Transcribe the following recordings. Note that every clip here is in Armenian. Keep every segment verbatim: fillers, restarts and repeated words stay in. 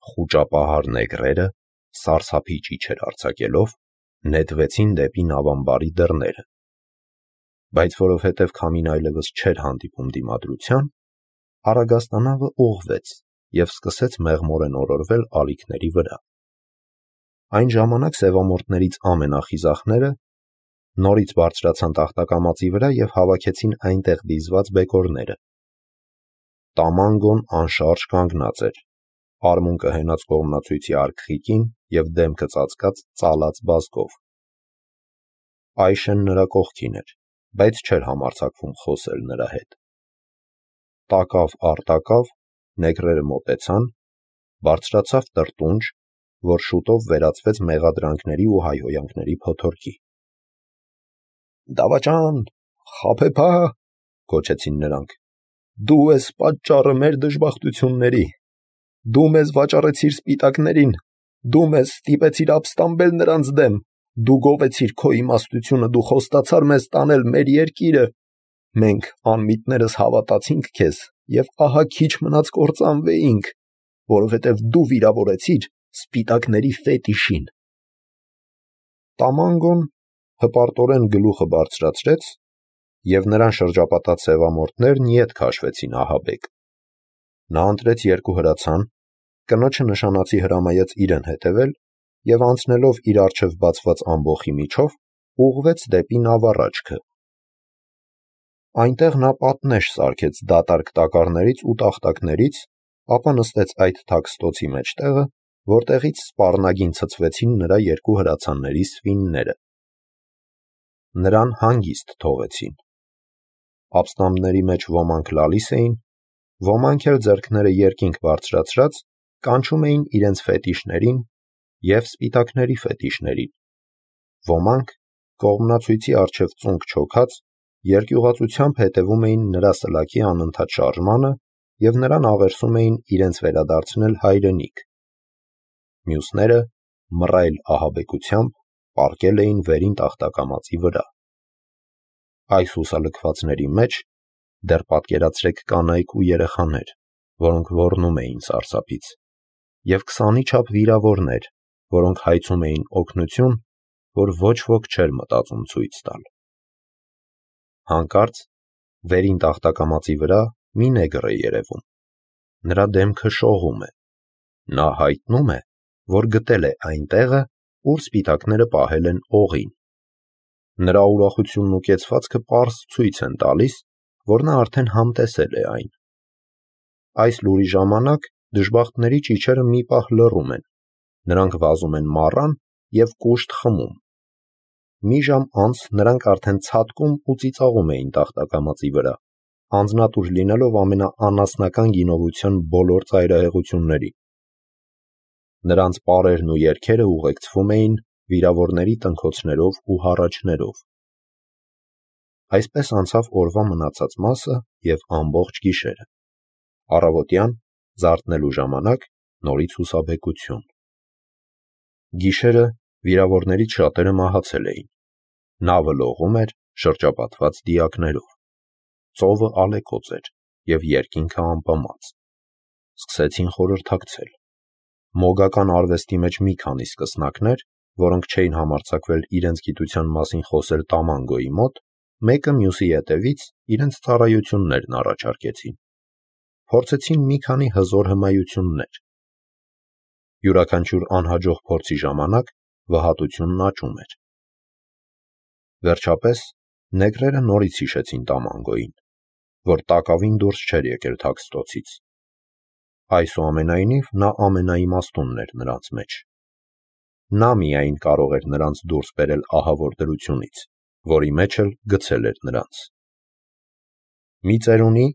խուճապահար նեգրերը, սարսափի ճիչեր արձակելով, նետվեցին դեպի նավամբարի դռները, բայց որովհետև քամին այլևս չէր հանդիպում դիմադրության, Արագաստանավը ուղղվեց և սկսեց մեղմորեն օրորվել ալիքների վրա։ Այն ժամանակ սևամորթներից ամենախիզախները նորից բարձրացան տախտակամածի վրա և հավաքեցին այնտեղ դիզված բեկորները։ Տամանգոն անշարժ կանգնած էր, արմունկը հենած կողմնացույցի արգխիկին և դեմքը ծածկած ծալած բազկով։ Այշեն նրա կողքին էր, բայց չէր համարձակվում խոսել նրա հետ։ Տակավ առ տակավ նեգրերը մոտեցան, բարձրացավ տրտունջ, որ շուտով վերածվեց մեղադրանքների ու հայհոյանքների փոթորկի։ «Դավաճան, խաբեբա», գոչեցին նրանք, «դու ես պատճառը մեր դժբախտությունների, դու մեզ վաճառեցիր սպիտակներին, դու մեզ ստիպեցիր ապստամբել նրանց դեմ, դու գովեցիր քո իմաստությունը, դու խոստացար մեզ տանել մեր երկիրը, մենք անմիտներս հավատացինք քեզ և ահա քիչ մնաց կործանվեինք, որովհետև դու վիրավորեցիր սպիտակների ֆետիշին»։ Տամանգոն հպարտորեն գլուխը բարձրացրեց, և նրան շրջապատած սևամորթներն ետ քաշվեցին ահաբեկ։ Նա ընտրեց երկու հրացան, կնոջը նշանածի հրամայեց իրեն հետևել և անցնելով իր առջև բացված ամբոխի միջով, ուղղվեց դեպի նավառաջքը։ Այնտեղ նա պատնեշ սարքեց դատարկ տակառներից ու տախտակներից, ապա նստեց այդ թաքստոցի մեջտեղը, որտեղից սպառնագին ցցվեցին նրա երկու հրացանների սվինները։ Նրան հանգիստ թողեցին։ Ապստամբների մեջ ոմանք լալիս էին, ոմանք էլ ձեռքները երկինք բարձրացրած կանչում էին իրենց ֆետիշներին և սպիտակների ֆետիշներին, ոմանք կողմնացույցի առջև ծունկ չոքած երկյուղածությամբ հետևում էին նրա սլաքի անընդհատ շարժմանը և նրան աղերսում էին իրենց վերադարձնել հայրենիք։ Մյուսները մռայլ ահաբեկությամբ պառկել էին վերին տախտակամածի վրա։ Այս հուսալքվածների մեջ դեռ պատկերացրեք կանայք ու երեխաներ, որոնք ոռնում էին սարսափից, և քսանի չափ վիրավորներ, որոնք հայցում էին օգնություն, որ ոչ ոք չէր մտածում ցույց տալ։ Հանկարծ վերին տախտակամածի վրա մի նեգր է երևում։ Նրա դեմքը շողում է։ Նա հայտնում է, որ գտել է այն տեղը, ուր սպիտակները պահել են օղին։ Նրա ուրախությունն ու կեցվածքը պարզ ցույց են տալիս, որ նա արդեն համտեսել է այն։ Այս լուրի ժամանակ դժբախտների ճիչերը մի պահ լռում են, նրանք վազում են մառան և կուշտ խմում։ Մի ժամ անց նրանք արդեն ցատկում ու ծիծաղում էին տախտակամածի վրա, անձնատուր լինելով ամենաանասնական գինովության բոլոր ծայրահեղություններին։ Նրանց պարերն ու երգերը ուղեկցվում էին վիրավորների տնքոցներով ու հառաչներով։ Այսպես անցավ օրվա մնացած մասը և ամբողջ գիշերը։ Առավոտյան, զարթնելու ժամանակ, նորից հուսաբեկություն։ Գիշերը վիրավորներից շատերը մահացել էին։ Նավը լողում էր, շրջապատված դիակներով։ Ծովը ալեկոծ էր և երկինքը ամպամած։ Սկսեցին խորհրդակցել։ Մոգական արվեստի մեջ մի քանի սկսնակներ, որոնք չէին համարձակվել իրենց գիտության մասին խոսել Տամանգոյի մոտ, մեկը մյուսի ետևից իրենց ծառայություններն առաջարկեցին։ Փորձեցին մի քանի հզոր հմայություններ։ Յուրաքանչյուր անհաջող փորձի ժամանակ վհատությունն աճում էր։ Վերջապես նեգրերը նորից հիշեցին Տամանգոյին, որ տակավին դուրս չէր եկել թաքստոցից։ Այսուամենայնիվ նա ամենաիմաստունն էր նրանց մեջ։ Նա միայն կարող էր նրանց դուրս բերել ահավոր դրությունից, որի մեջ էլ գցել էր նրանց։ Մի ծերունի,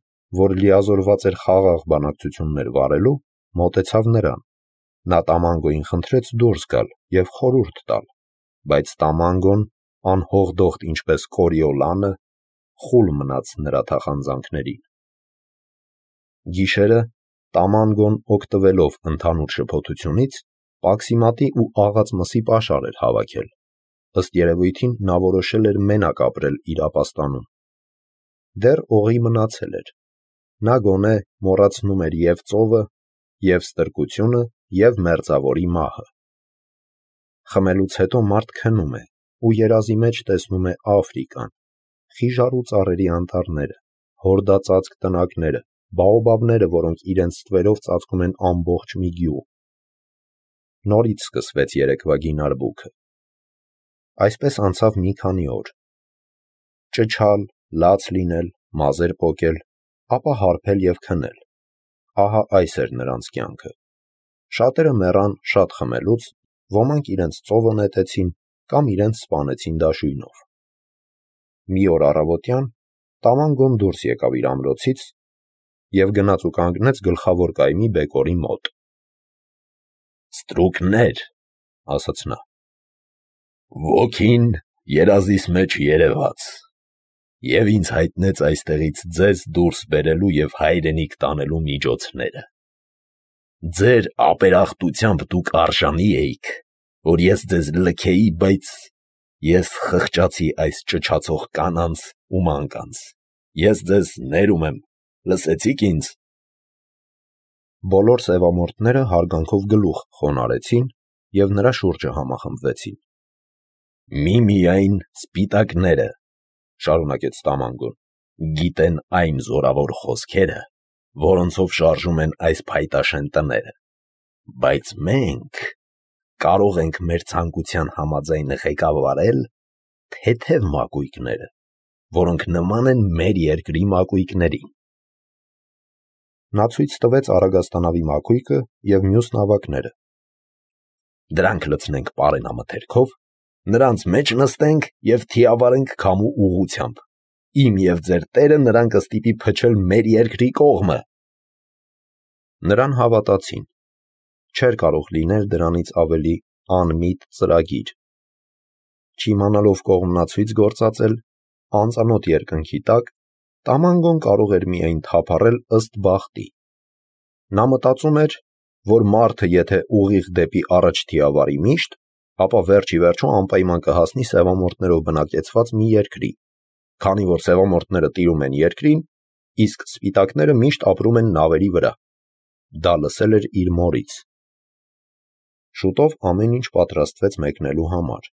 որ լիազորված էր խաղաղ բանակցություններ վարելու, մոտեցավ նրան։ Նա Տամանգոյին խնդրեց դուրս գալ և խորհուրդ տալ, բայց Տամանգոն, անհողդոխտ ինչպես Կորիոլանը, խուլ մնաց նրա թախանձանքներին։ Գիշերը Տամանգոն, օգտվելով ընդհանուր շփոթությունից, պաքսիմատի ու աղած մսի պաշար էր հավաքել։ Ըստ երևույթին նա որոշել էր մենակ ապրել իր ապաստանում։ Դեռ օղի մնացել էր։ Նա գոնե մոռացնում էր և ծովը, և ստրկությունը, և մերձավորի մահը։ Խմելուց հետո մարդ քնում է ու երազի մեջ տեսնում է Աֆրիկան, խիժառու ծառերի անտառները, հորդածածկ տնակները, բաոբաբները, որոնք իրենց ստվերով ծածկում են ամբողջ մի գյուղ։ Նորից սկսվեց երեկվա գինարբուքը։ Այսպես անցավ մի քանի օր։ Ճչալ, լաց լինել, մազեր պոկել, ապա հարբել և քնել։ Ահա այս էր նրանց կյանքը։ Շատերը մեռան շատ խմելուց, ոմանք իրենց ծովը նետեցին կամ իրենց սպանեցին դաշույնով։ Մի օր առավոտյան Տամանգոն դուրս եկավ իր ամրոցից և գնաց ու կանգնեց գլխավոր կայմի բեկորի մոտ։ «Ստրուկներ», ասաց նա, «ոգին երազիս մեջ երևաց և ինձ հայտնեց այստեղից ձեզ դուրս բերելու և հայրենիք տանելու միջոցները։ Ձեր ապերախտությամբ դուք արժանի էիք, որ ես ձեզ լքեի, բայց ես խղճացի այս ճչացող կանանց ու մանկանց։ Ես ձեզ ներում եմ, լսեցի՞ք ինձ»։ Բոլոր սևամորթները հարգանքով գլուխ խոնարհեցին և նրա շուրջը համախմբվեցին։ «Միմիայն սպիտակները, — շարունակեց Տամանգոն, — գիտեն այն զորավոր խոսքերը, որոնցով շարժում են այս փայտաշեն տները, բայց մենք կարող ենք մեր ցանկության համաձայն ղեկավարել թեթև մակույկները, որոնք նման են մեր երկրի մակույկներին»։ Նա ցույց տվեց Արագաստանավի մակույկը և մյուս նավակները։ «Դրանք լցնենք պարենամթերքով, նրանց մեջ նստենք և թիավարենք քամու ուղղությամբ։ Իմ և ձեր տերը նրան կստիպի փչել մեր երկրի կողմը»։ Նրան հավատացին։ Չէր կարող լինել դրանից ավելի անմիտ ծրագիր։ Չիմանալով կողմնացույց գործածել, անծանոթ երկնքի տակ, Տամանգոն կարող էր միայն թափառել ըստ բախտի։ Նա մտածում էր, որ մարդը եթե ուղիղ դեպի առաջ թիավարի միշտ, ապա վերջ ի վերջո անպայման կհասնի սևամորթներով բնակեցված մի երկրի, քանի որ սևամորթները տիրում են երկրին, իսկ սպիտակները միշտ ապրում են նավերի վրա։ Դա լսել էր իր մորից։ Շուտով ամեն ինչ պատրաստվեց մեկնելու համար,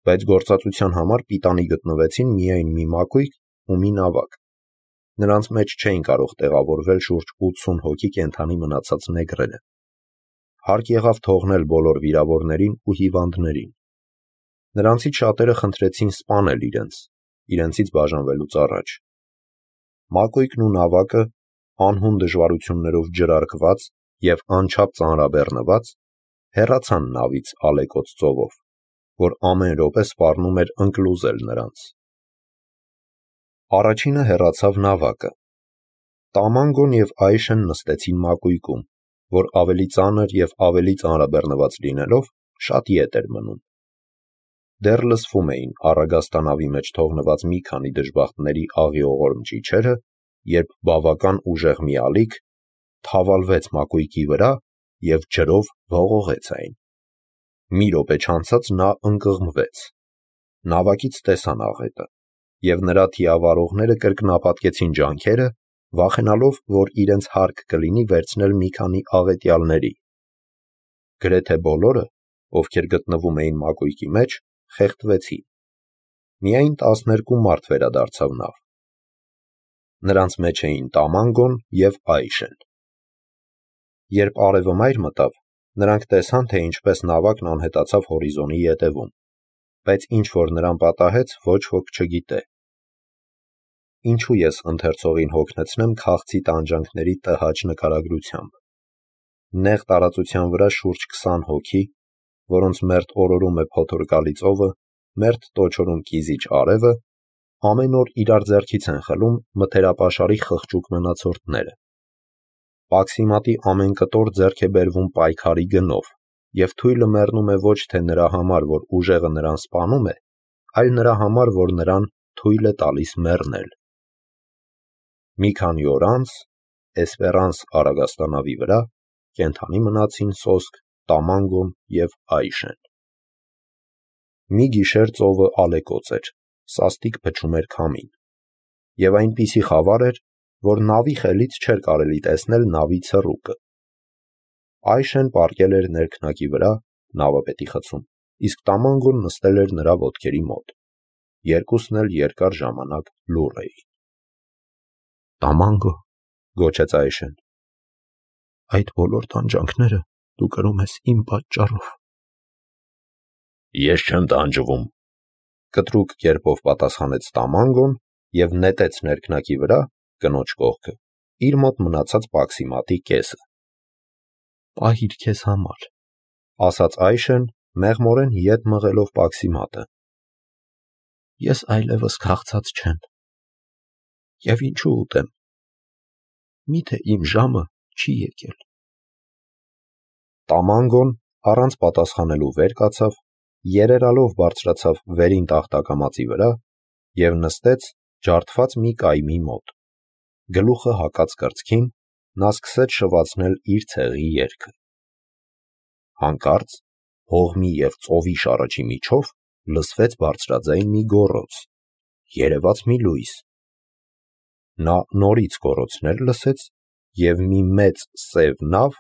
բայց գործածության համար պիտանի գտնվեցին միայն մի մակույկ ու մի նավակ։ Նրանց մեջ չէին կարող տեղավորվել շուրջ ութսուն հոգի կենդանի մնացած նեգրերը։ Հարկ եղավ թողնել բոլոր վիրավորներին ու հիվանդներին։ Նրանցից շատերը խնդրեցին սպանել իրենց, իրենցից բաժանվելուց առաջ։ Մակույկն ու նավակը, անհուն դժվարություններով ջրարկված և անչափ ծանրաբեռնված, հեռացան նավից ալեկոծ ծովով, որ ամեն րոպե սպառնում էր ընկլուզել նրանց։ Առաջինը հեռացավ նավակը։ Տամանգոն և Այշեն նստեցին մակույկում, որ ավելի ծանր և ավելի ծանրաբեռնված լինելով, շատ ետ էր մնում։ Դեռ լսվում էին Արագաստանավի մեջ թողնված մի քանի դժբախտների աղիողորմ ճիչերը, երբ բավական ուժեղ մի ալիք թավալվեց մակույկի վրա և ջրով ողողեց այն։ Մի րոպե չանցած նա ընկղմվեց։ Նավակից տեսան աղետը, և նրա թիավարողները կրկնապատկեցին ջանքերը, վախենալով, որ իրենց հարկ կլինի վերցնել մի քանի աղետյալների։ Գրեթե բոլորը, ովքեր գտնվում էին մակույկի մեջ, խեղդվեցին։ Միայն տասներկու մարդ վերադարձավ նավ։ Նրանց մեջ էին Տամանգոն և Այշեն։ Երբ արևը մայր մտավ, նրանք տեսան, թե ինչպես նավակն անհետացավ հորիզոնի ետևում, բայց ինչ որ նրան պատահեց, ոչ ոք չգիտե։ Ինչու ես ընթերցողին հոգնեցնեմ քաղցի տանջանքների տհաճ նկարագրությամբ։ Նեղ տարածության վրա շուրջ քսան հոգի, որոնց մերթ օրորում է փոթորկալի ծովը, մերթ տոչորում կիզիչ արևը, ամեն օր իրար ձեռքից են խլում մթերապաշարի խղճուկ մնացորդները։ Պաքսիմատի ամեն կտոր ձեռք է բերվում պայքարի գնով, և թույլը մեռնում է ոչ թե նրա համար, որ ուժեղը նրան սպանում է, այլ նրա համար, որ նրան թույլ է տալիս մեռնել։ Մի քանի օր անց Էսպերանս Արագաստանավի վրա կենդանի մնացին սոսկ Տամանգոն և Այշեն։ Մի գիշեր ծովը ալեկոծ էր, սաստիկ փչում էր քամին, և այնպիսի խավար էր, որ նավի խելից չէր կարելի տեսնել նավի ցռուկը։ Այշեն պառկել էր ներքնակի վրա, նավը պետի խցում, իսկ Տամանգոն նստել էր նրա ոտքերի մոտ։ Երկուսն էլ երկար ժամանակ լուռ էին։ «Տամանգո», գոչեց Այշեն, «այդ բոլոր տանջանքները դու կրում ես իմ պատճառով»։ «Ես չեմ տանջվում», կտրուկ կերպով պատասխանեց Տամանգոն և նետեց ներքնակի վրա, կնոջ կողքը, իր մոտ մնացած պաքսիմատի կեսը։ «Պահիր քեզ համար», ասաց Այշեն, մեղմորեն ետ մղելով պաքսիմատը։ «Ես այլևս քաղցած չեմ, և ինչու ուտեմ, միթե իմ ժամը չի եկել»։ Տամանգոն առանց պատասխանելու վեր կացավ, երերալով բարձրացավ վերին տախտակամածի վրա և նստեց ջարդված մի կայմի մոտ։ Գլուխը հակած կրծքին, նա սկսեց շվացնել իր ցեղի երգը։ Հանկարծ հողմի և ծովի շարրջի միջով լսվեց բարձրաձայն մի գոռոց, երևաց մի լույս։ Նա նորից գոռոցներ լսեց, և մի մեծ սև նավ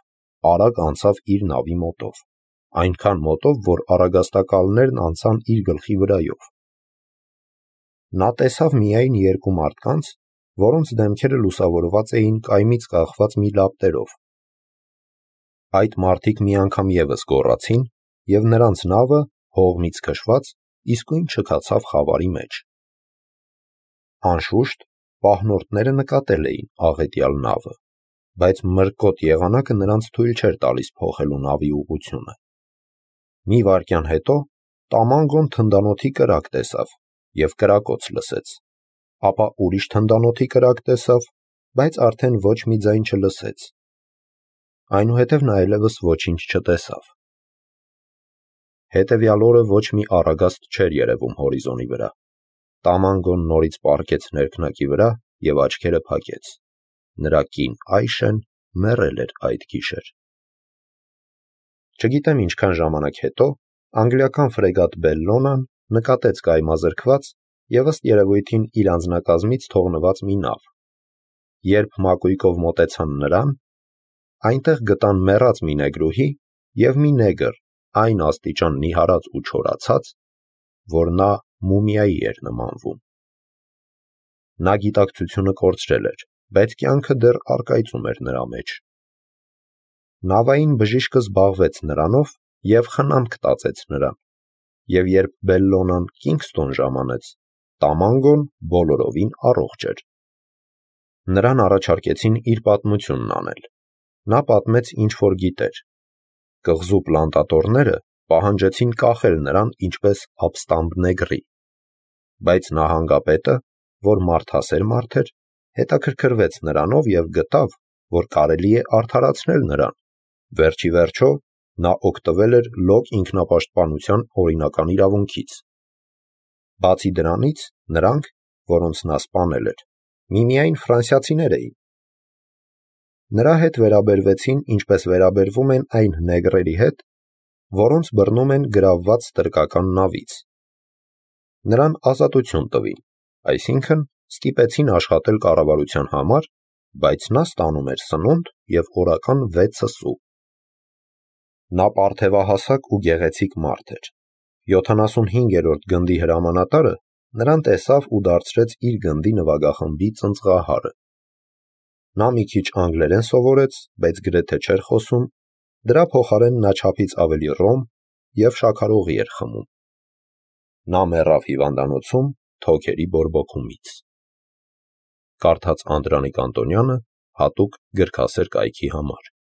արագ անցավ իր նավի մոտով, այնքան մոտով, որ առագաստակալներն անցան իր գլխի վրայով։ Նա տեսավ միայն երկու մարդկանց, որոնց դեմքերը լուսավորված էին կայմից կախված մի լապտերով։ Այդ մարդիկ մի անգամ ևս գոռացին, և նրանց նավը, հողմից քշված, իսկույն չքացավ խավարի մեջ։ Անշուշտ, պահնորդները նկատել էին աղետյալ նավը, բայց մրկոտ եղանակը նրանց թույլ չէր տալիս փոխելու նավի ուղղությունը։ Մի վայրկյան հետո Տամանգոն թնդանոթի կրակ տեսավ և կրակոց լսեց, ապա ուրիշ թնդանոթի կրակ տեսավ, բայց արդեն ոչ մի ձայն չլսեց։ Այնուհետև նա այլևս ոչինչ չտեսավ։ Հետևյալ օրը ոչ մի առագաստ չէր երևում հորիզոնի վրա։ Տամանգոն նորից պառկեց ներքնակի վրա և աչքերը փակեց։ Նրա կին Այշեն մեռել էր այդ գիշեր։ Չգիտեմ ինչքան ժամանակ հետո անգլիական ֆրեգատ Բելլոնան նկատեց կայմազրկված և ըստ երևույթին իր անձնակազմից թողնված մի նավ։ Երբ մակույկով մոտեցան նրան, այնտեղ գտան մեռած մի նեգրուհի և մի նեգր այն աստիճան նիհարած ու չորացած, որ նա մումիայի էր նմանվում։ Նա գիտակցությունը կորցրել էր, բայց կյանքը դեռ առկայծում էր նրա մեջ։ Նավային բժիշկը զբաղվեց նրանով և խնամք տածեց նրան, և երբ Բելլոնան Կինգստոն ժամանեց, Տամանգոն բոլորովին առողջ էր։ Նրան առաջարկեցին իր պատմությունն անել։ Նա պատմեց, ինչ որ գիտեր։ Կղզու պլանտատորները պահանջեցին կախել նրան ինչպես ապստամբ նեգրի, բայց նահանգապետը, որ մարդասեր մարդ էր, հետաքրքրվեց նրանով և գտավ, որ կարելի է արդարացնել նրան։ Վերջիվերջո նա օգտվել էր լոկ ինքնապաշտպանության օրինական իրավունքից։ Բացի դրանից, նրանք, որոնց նա սպանել էր, միմիայն ֆրանսիացիներ էին։ Նրա հետ վերաբերվեցին ինչպես վերաբերվում են այն նեգրերի հետ, որոնց բռնում են գրավված ստրկական նավից։ Նրան ազատություն տվին, այսինքն ստիպեցին աշխատել կառավարության համար, բայց նա ստանում էր սնունդ և օրական վեցը սու։ Նա պարթևահասակ ու գեղեցիկ մարդ էր։ յոթանասունհինգերորդ գնդի հրամանատարը նրան տեսավ ու դարձրեց իր գնդի նվագախմբի ծնծղահարը։ Նա մի քիչ անգլերեն սովորեց, բայց գրեթե չէր խոսում, դրա փոխարեն նա չափից ավելի ռոմ և շաքարօղի էր խմում։ Նա մեռավ հիվանդանոցում թոքերի բորբոքումից։ Կարդաց Անդրանիկ Անտոնյանը հատուկ գրքասեր կայքի համար։